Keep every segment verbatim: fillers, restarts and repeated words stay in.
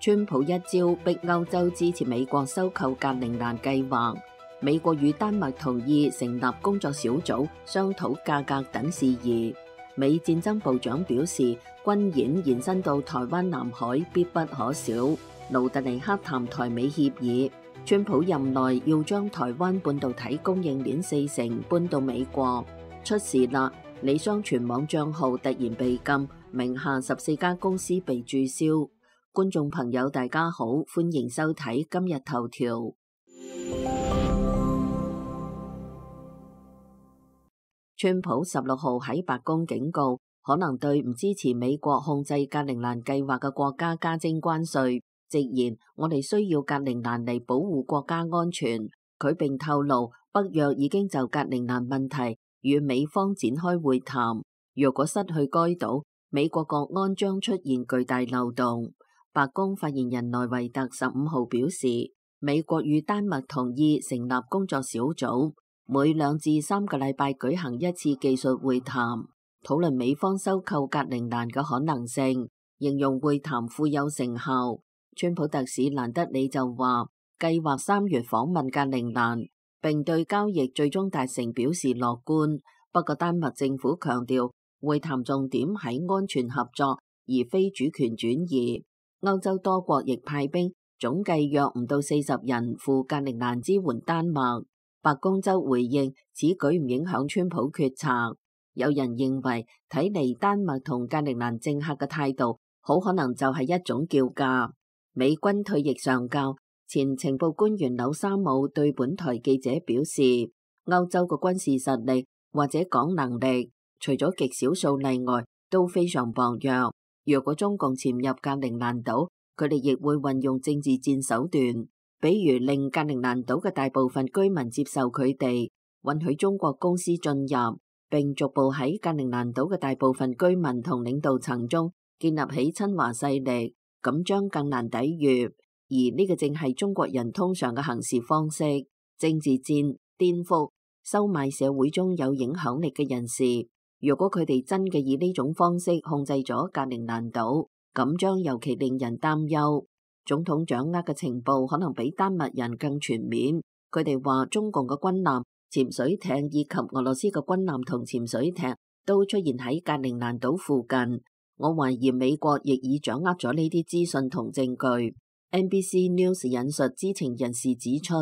川普一招逼歐洲支持美國收購格陵蘭計劃。美國與丹麥同意成立工作小組商討價格等事宜。美戰爭部長表示，軍演延伸到台灣南海必不可少。盧特尼克談台美協議。川普任內要將台灣半導體供應鏈四成搬到美國。出事啦！李湘全網賬號突然被禁，名下十四家公司被註銷。觀眾朋友大家好，歡迎收睇今日頭條。川普十六號喺白宮警告，可能對唔支持美國控制格陵蘭計劃嘅國家加徵關稅，直言我哋需要格陵蘭嚟保護國家安全。佢並透露，北約已經就格陵蘭問題與美方展開會談。若果失去該島，美國國安將出現巨大漏洞。白宮發言人萊維特十五號表示，美國與丹麥同意成立工作小組，每兩至三個禮拜舉行一次技術會談，討論美方收購格陵蘭嘅可能性，形容會談富有成效。川普特使蘭德里就話，計劃三月訪問格陵蘭，並對交易最終達成表示樂觀。不過丹麥政府強調，會談重點喺安全合作，而非主權轉移。歐洲多國亦派兵，總計約唔到四十人赴格陵蘭支援丹麥。白宮則回應，此舉唔影響川普決策。有人認為，睇嚟丹麥同格陵蘭政客嘅態度，好可能就係一種叫價。美軍退役上校、前情報官員紐沙姆對本台記者表示，歐洲嘅軍事實力或者講能力，除咗極少數例外，都非常薄弱。若果中共潛入格陵蘭島，佢哋亦會運用政治戰手段，比如令格陵蘭島嘅大部分居民接受佢哋，允許中國公司進入，並逐步喺格陵蘭島嘅大部分居民同領導層中建立起親華勢力，咁將更難抵禦。而呢個正係中國人通常嘅行事方式：政治戰、顛覆、收買社會中有影響力嘅人士。如果佢哋真嘅以呢種方式控制咗格陵蘭島，咁將尤其令人擔憂。總統掌握嘅情報可能比丹麥人更全面。佢哋話中共嘅軍艦、潛水艇以及俄羅斯嘅軍艦同潛水艇都出現喺格陵蘭島附近。我懷疑美國亦已掌握咗呢啲資訊同證據。N B C News 引述知情人士指出，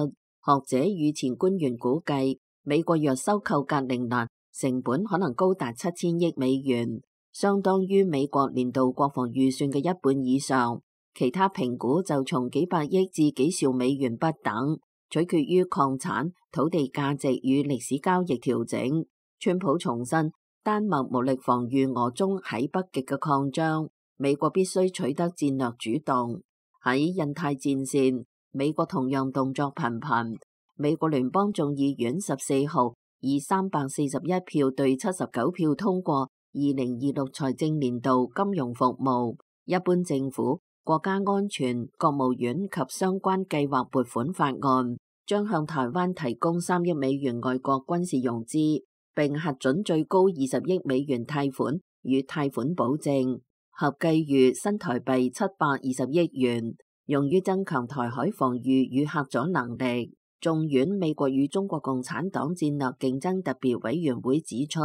學者與前官員估計，美國若收購格陵蘭，成本可能高達七千億美元，相當於美國年度國防預算嘅一半以上。其他評估就從幾百億至幾兆美元不等，取決於礦產、土地價值與歷史交易調整。川普重申，丹麥無力防禦俄中喺北極嘅擴張，美國必須取得戰略主動。喺印太戰線，美國同樣動作頻頻。美國聯邦眾議院十四號以三百四十一票對七十九票通過二零二六財政年度金融服務、一般政府、國家安全、國務院及相關計劃撥款法案，將向台灣提供三億美元外國軍事融資，並核准最高二十億美元貸款與貸款保證，合計逾新台幣七百二十億元，用於增強台海防禦與嚇阻能力。眾院美國與中國共產黨戰略競爭特別委員會指出，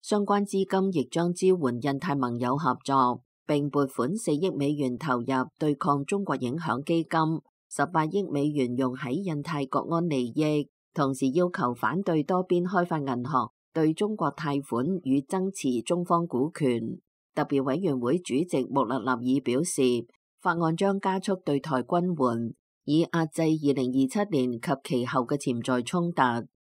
相關資金亦將支援印太盟友合作，並撥款四億美元投入對抗中國影響基金，十八億美元用喺印太國安利益，同時要求反對多邊開發銀行對中國貸款與增持中方股權。特別委員會主席穆勒納爾表示，法案將加速對台軍援，以壓制二零二七年及其後嘅潛在衝突。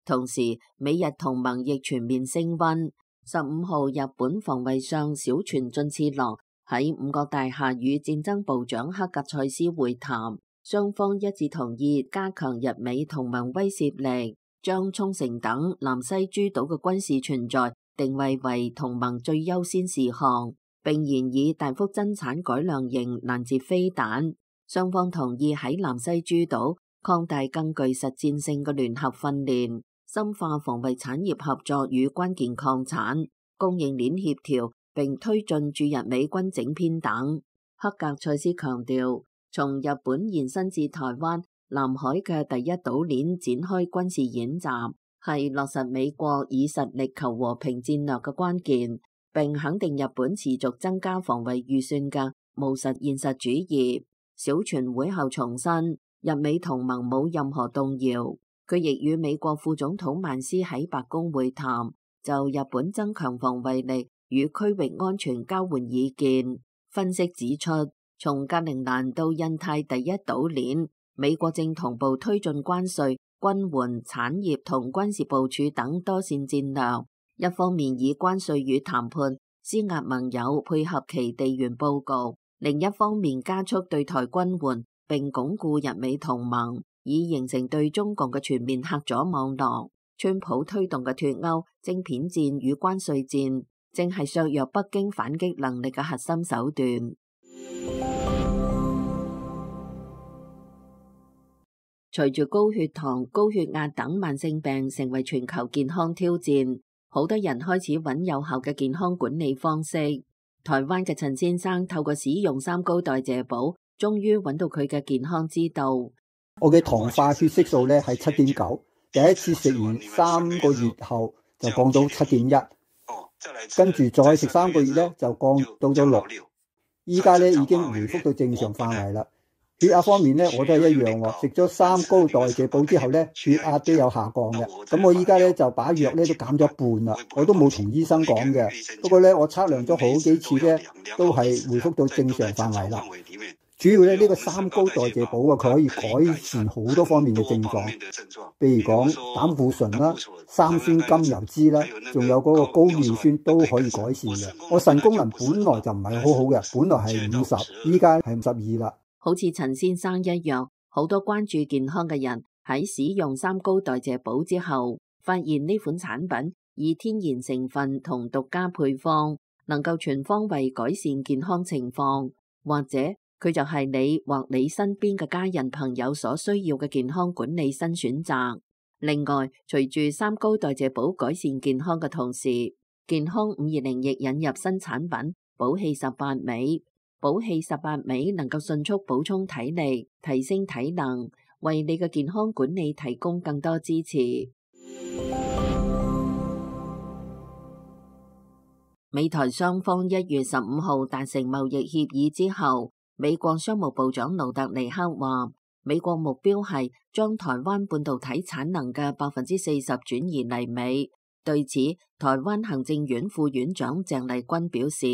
同時，美日同盟亦全面升溫。十五號，日本防衛相小泉進次郎喺五角大廈與戰爭部長黑格塞斯會談，雙方一致同意加強日美同盟威懾力，將沖繩等南西諸島嘅軍事存在定位為同盟最優先事項，並研議大幅增產改良型攔截飛彈。雙方同意喺南西諸島擴大更具實戰性嘅聯合訓練，深化防衛產業合作與關鍵礦產供應鏈協調，並推進駐日美軍整編等。黑格塞斯強調，從日本延伸至台灣、南海嘅第一島鏈展開軍事演習，係落實美國以實力求和平戰略嘅關鍵，並肯定日本持續增加防衛預算嘅務實現實主義。小泉會後重申，日美同盟冇任何動搖。佢亦與美國副總統曼斯喺白宮會談，就日本增強防衛力與區域安全交換意見。分析指出，從格陵蘭到印太第一島鏈，美國正同步推進關稅、軍援、產業同軍事部署等多線戰略。一方面以關稅與談判施壓盟友配合其地緣佈局，另一方面加速對台軍援並鞏固日美同盟，以形成對中共嘅全面嚇阻網絡。川普推動嘅脫歐、晶片戰與關稅戰，正係削弱北京反擊能力嘅核心手段。隨住高血糖、高血壓等慢性病成為全球健康挑戰，好多人開始揾有效嘅健康管理方式。台灣嘅陳先生透過使用三高代謝寶，終於揾到佢嘅健康之道。我嘅糖化血色素咧係七點九，第一次食完三個月後就降到七點一，跟住再食三個月咧就降到咗六，依家咧已經回復到正常範圍啦。血壓方面咧我都係一樣喎，食咗三高代謝寶之後咧血壓都有下降嘅。咁我依家咧就把藥咧都減咗一半啦，我都冇同醫生講嘅。不過咧我測量咗好幾次咧都係回復到正常範圍啦。主要咧呢個三高代謝寶啊，佢可以改善好多方面嘅症狀，譬如講膽固醇啦、三酸甘油酯啦，仲有嗰個高尿酸都可以改善嘅。我腎功能本來就唔係好好嘅，本來係五十，依家係五十二啦。好似陳先生一樣，好多關注健康嘅人喺使用三高代謝寶之後，發現呢款產品以天然成分同獨家配方，能夠全方位改善健康情況，或者佢就係你或你身邊嘅家人朋友所需要嘅健康管理新選擇。另外，隨住三高代謝寶改善健康嘅同時，健康五二零亦引入新產品寶氣十八味。寶氣十八味能夠迅速補充體力，提升體能，為你嘅健康管理提供更多支持。美台雙方一月十五號達成貿易協議之後，美國商務部長盧特尼克話，美國目標係將台灣半導體產能嘅百分之四十轉移嚟美。對此，台灣行政院副院長鄭麗君表示，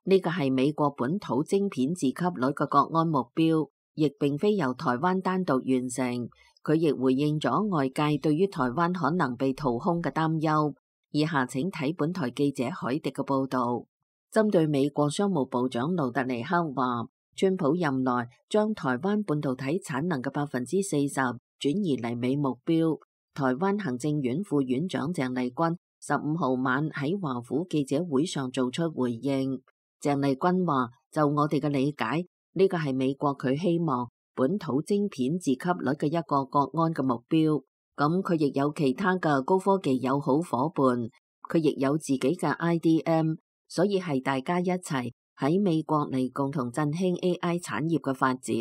呢個係美國本土晶片自給率嘅國安目標，亦並非由台灣單獨完成。佢亦回應咗外界對於台灣可能被掏空嘅擔憂。以下請睇本台記者海迪嘅報導。針對美國商務部長盧特尼克話，川普任內將台灣半導體產能嘅百分之四十轉移嚟美目標，台灣行政院副院長鄭麗君十五號晚喺華府記者會上做出回應。鄭麗君話：就我哋嘅理解，呢個係美國佢希望本土晶片自給率嘅一個國安嘅目標。咁佢亦有其他嘅高科技友好夥伴，佢亦有自己嘅 I D M， 所以係大家一齊喺美國嚟共同振興 A I 產業嘅發展，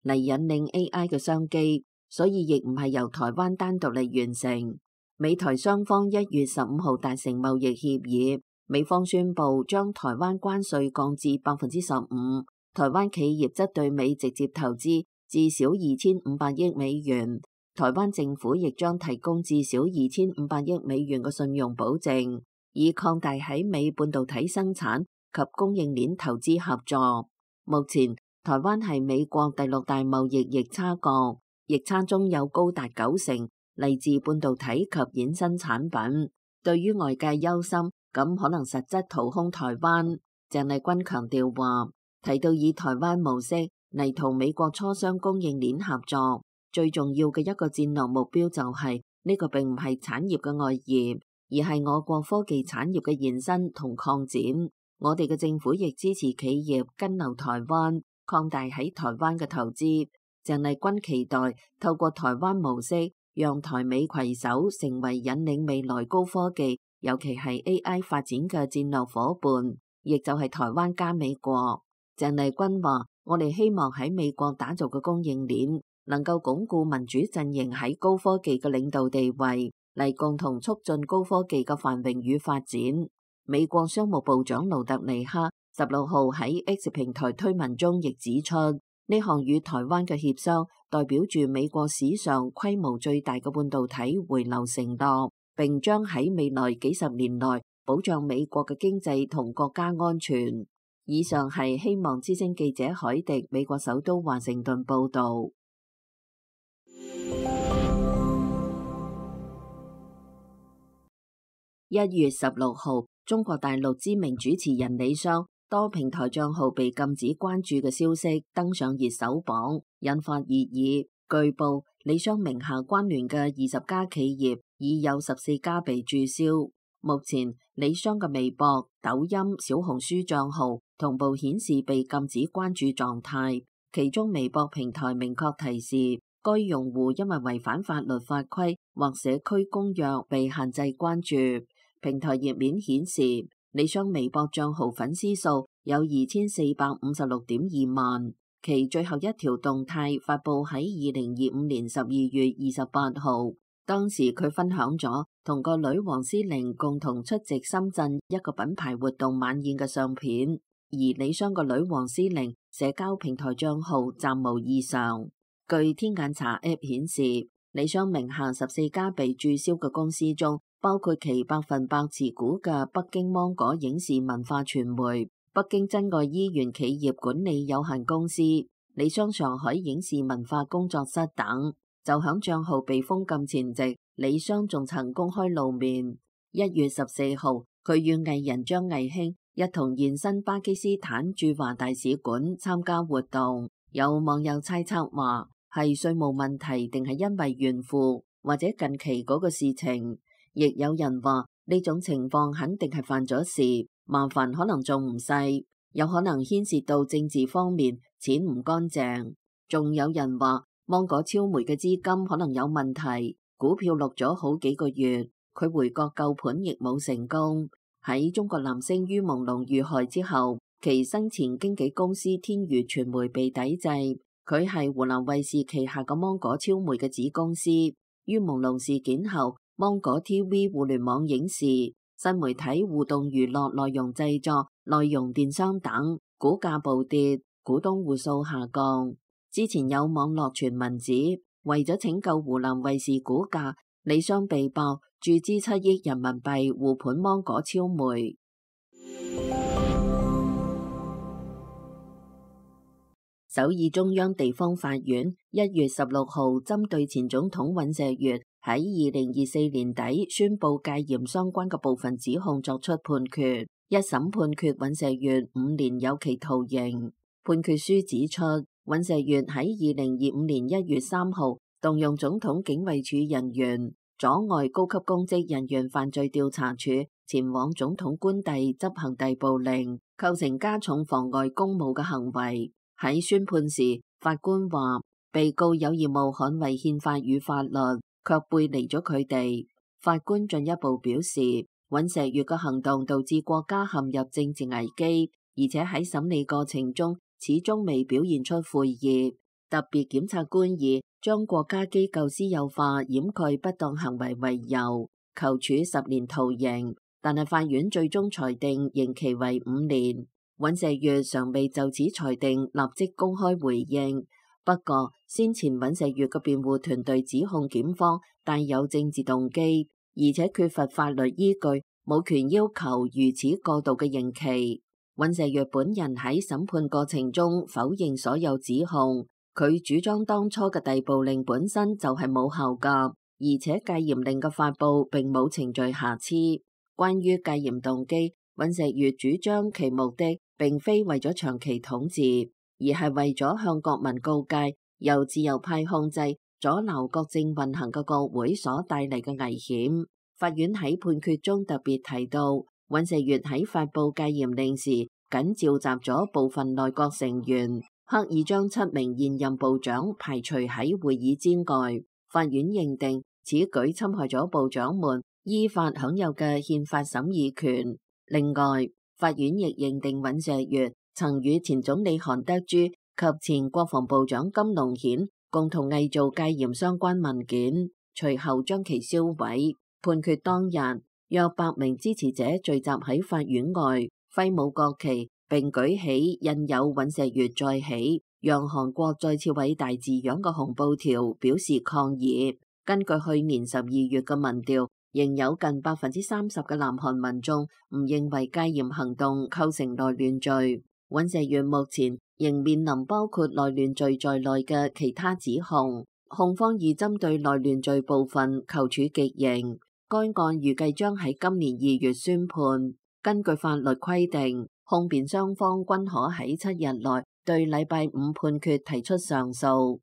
嚟引領 A I 嘅商機。所以亦唔係由台灣單獨嚟完成。美台雙方一月十五號達成貿易協議。美方宣布將台灣關稅降至百分之十五，台灣企業則對美直接投資至少二千五百億美元，台灣政府亦將提供至少二千五百億美元嘅信用保證，以擴大喺美半導體生產及供應鏈投資合作。目前，台灣係美國第六大貿易逆差國，逆差中有高達九成嚟自半導體及衍生產品。對於外界憂心，咁可能實質掏空台灣，鄭麗君強調話，提到以台灣模式嚟同美國磋商供應鏈合作，最重要嘅一個戰略目標就係、是、呢、這個並唔係產業嘅外移，而係我國科技產業嘅延伸同擴展。我哋嘅政府亦支持企業跟留台灣，擴大喺台灣嘅投資。鄭麗君期待透過台灣模式，讓台美攜手成為引領未來高科技，尤其係 A I 發展嘅戰略夥伴，亦就係台灣加美國。鄭麗君話：我哋希望喺美國打造嘅供應鏈能夠鞏固民主陣營喺高科技嘅領導地位，嚟共同促進高科技嘅繁榮與發展。美國商務部長盧特尼克十六號喺 X 平台推文中亦指出，呢項與台灣嘅協商代表住美國史上規模最大嘅半導體回流承諾，並將喺未來幾十年內保障美國嘅經濟同國家安全。以上係希望之聲記者海迪美國首都華盛頓報道。一月十六號，中國大陸知名主持人李湘多平台賬號被禁止關注嘅消息登上熱搜榜，引發熱議。據報，李湘名下關聯嘅二十家企業已有十四家被註銷。目前，李湘嘅微博、抖音、小紅書賬號同步顯示被禁止關注狀態，其中微博平台明確提示，該用戶因為違反法律法規或社區公約被限制關注。平台頁面顯示，李湘微博賬號粉絲數有二千四百五十六點二萬，其最後一條動態發布喺二零二五年十二月二十八號。當時佢分享咗同個女王詩玲共同出席深圳一個品牌活動晚宴嘅相片，而李湘個女王詩玲社交平台賬號暫無異常。據天眼查 App 顯示，李湘名下十四家被註銷嘅公司中，包括其百分百持股嘅北京芒果影視文化傳媒、北京珍愛醫園企業管理有限公司、李湘上海影視文化工作室等。就響賬號被封禁前夕，李湘仲曾公開露面。一月十四號，佢與藝人張藝興一同現身巴基斯坦駐華大使館參加活動。有網友猜測話係稅務問題，定係因為炫富，或者近期嗰個事情。亦有人話呢種情況肯定係犯咗事，麻煩可能仲唔細，有可能牽涉到政治方面，錢唔乾淨。仲有人話，芒果超媒嘅資金可能有問題，股票落咗好幾個月，佢回國救盤亦冇成功。喺中國男星于朦朧遇害之後，其生前經紀公司天娛傳媒被抵制，佢係湖南衛視旗下嘅芒果超媒嘅子公司。于朦朧事件後，芒果 T V 互聯網影視、新媒體互動娛樂內容製作、內容電商等股價暴跌，股東戶數下降。之前有網絡傳聞指，為咗拯救湖南衛視股價，李湘被曝注資七億人民幣護盤芒果超媒。首爾中央地方法院一月十六號針對前總統尹錫悅喺二零二四年底宣布戒嚴相關嘅部分指控作出判決，一審判決尹錫悅五年有期徒刑。判決書指出，尹錫悅喺二零二五年一月三號動用總統警衛處人員阻礙高級公職人員犯罪調查處前往總統官邸執行逮捕令，構成加重妨礙公務嘅行為。喺宣判時，法官話被告有義務捍衛憲法與法律，卻背離咗佢哋。法官進一步表示，尹錫悅嘅行動導致國家陷入政治危機，而且喺審理過程中始終未表現出悔意。特別檢察官以將國家機構私有化掩蓋不當行為為由，求處十年徒刑，但係法院最終裁定刑期為五年。尹錫悅尚未就此裁定立即公開回應。不過，先前尹錫悅嘅辯護團隊指控檢方帶有政治動機，而且缺乏法律依據，冇權要求如此過度嘅刑期。尹錫悅本人喺審判過程中否認所有指控，佢主張當初嘅逮捕令本身就係冇效㗎，而且戒嚴令嘅發布並冇程序瑕疵。關於戒嚴動機，尹錫悅主張其目的並非為咗長期統治，而係為咗向國民告誡由自由派控制、阻撓國政運行嘅國會所帶嚟嘅危險。法院喺判決中特別提到，尹錫悅喺發布戒嚴令時，僅召集咗部分內閣成員，刻意將七名現任部長排除喺會議之外。法院認定此舉侵害咗部長們依法享有嘅憲法審議權。另外，法院亦認定尹錫悅曾與前總理韓德洙及前國防部長金龍顯共同偽造戒嚴相關文件，隨後將其燒毀。判決當日，約百名支持者聚集喺法院外，揮舞國旗，並舉起印有尹錫悅再起，讓韓國再次偉大字樣嘅紅布條，表示抗議。根據去年十二月嘅民調，仍有近百分之三十嘅南韓民眾唔認為戒嚴行動構成內亂罪。尹錫悅目前仍面臨包括內亂罪在內嘅其他指控，控方已針對內亂罪部分求處極刑。該案預計將喺今年二月宣判。根據法律規定，控辯雙方均可喺七日內對禮拜五判決提出上訴。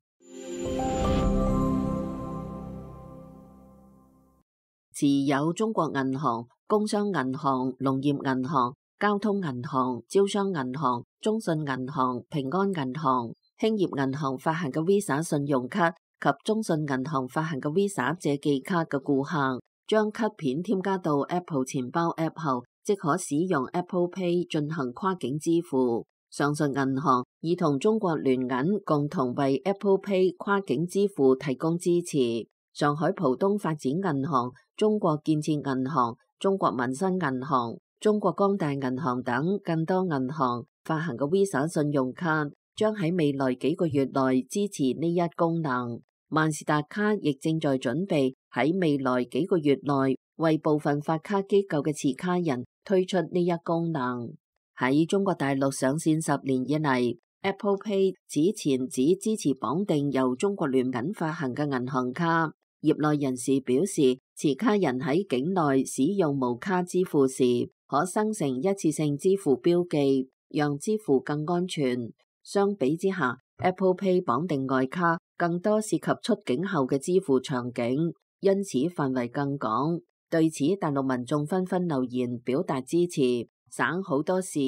持有中國銀行、工商銀行、農業銀行、交通銀行、招商銀行、中信銀行、平安銀行、興業銀行發行嘅 Visa 信用卡及中信銀行發行嘅 Visa 借記卡嘅顧客，將卡片添加到 Apple 錢包 App 後，即可使用 Apple Pay 進行跨境支付。上述銀行已同中國聯銀共同為 Apple Pay 跨境支付提供支持。上海浦東發展銀行、中國建設銀行、中國民生銀行、中國光大銀行等更多銀行發行嘅 Visa 信用卡，將喺未來幾個月內支持呢一功能。萬事達卡亦正在準備喺未來幾個月內為部分發卡機構嘅持卡人推出呢一功能。喺中國大陸上線十年以嚟， Apple Pay 此前只支持綁定由中國聯銀發行嘅銀行卡。業內人士表示，持卡人喺境內使用無卡支付時，可生成一次性支付標記，讓支付更安全。相比之下， Apple Pay 綁定外卡更多涉及出境後嘅支付場景，因此範圍更廣。對此，大陸民眾紛紛留言表達支持，省好多事，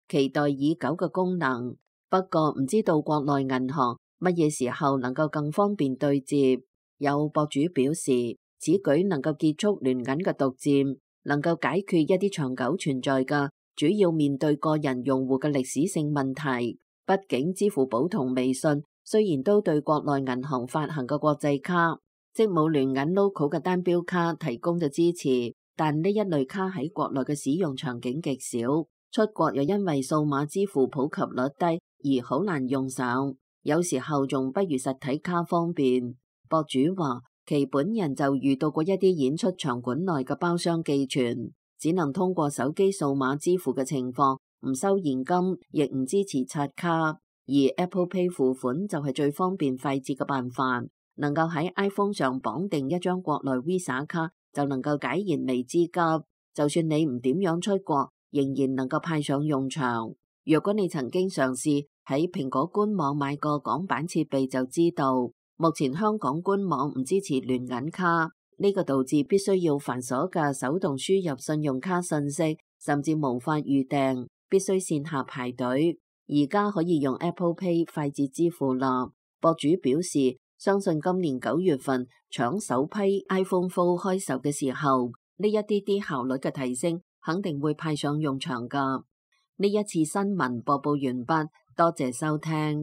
期待已久嘅功能。不過唔知道國內銀行乜嘢時候能夠更方便對接。有博主表示，此舉能夠結束聯銀嘅獨佔，能夠解決一啲長久存在嘅主要面對個人用戶嘅歷史性問題。畢竟支付寶同微信雖然都對國內銀行發行嘅國際卡，即冇聯銀 logo 嘅單標卡提供嘅支持，但呢一類卡喺國內嘅使用場景極少，出國又因為數碼支付普及率低而好難用上，有時候仲不如實體卡方便。博主話，其本人就遇到過一啲演出場館內嘅包廂寄存，只能通過手機數碼支付嘅情況，唔收現金，亦唔支持刷卡。而 Apple Pay 付款就係最方便快捷嘅辦法，能夠喺 iPhone 上綁定一張國內 Visa 卡，就能夠解燃眉之急。就算你唔點樣出國，仍然能夠派上用場。若果你曾經嘗試喺蘋果官網買過港版設備，就知道目前香港官網唔支持聯銀卡，呢個導致必須要繁瑣嘅手動輸入信用卡信息，甚至無法預訂，必須線下排隊。而家可以用 Apple Pay 快捷支付啦。博主表示，相信今年九月份搶首批 iPhone Fold 開售嘅時候，呢一啲啲效率嘅提升肯定會派上用場㗎。呢一次新聞播報完畢，多謝收聽。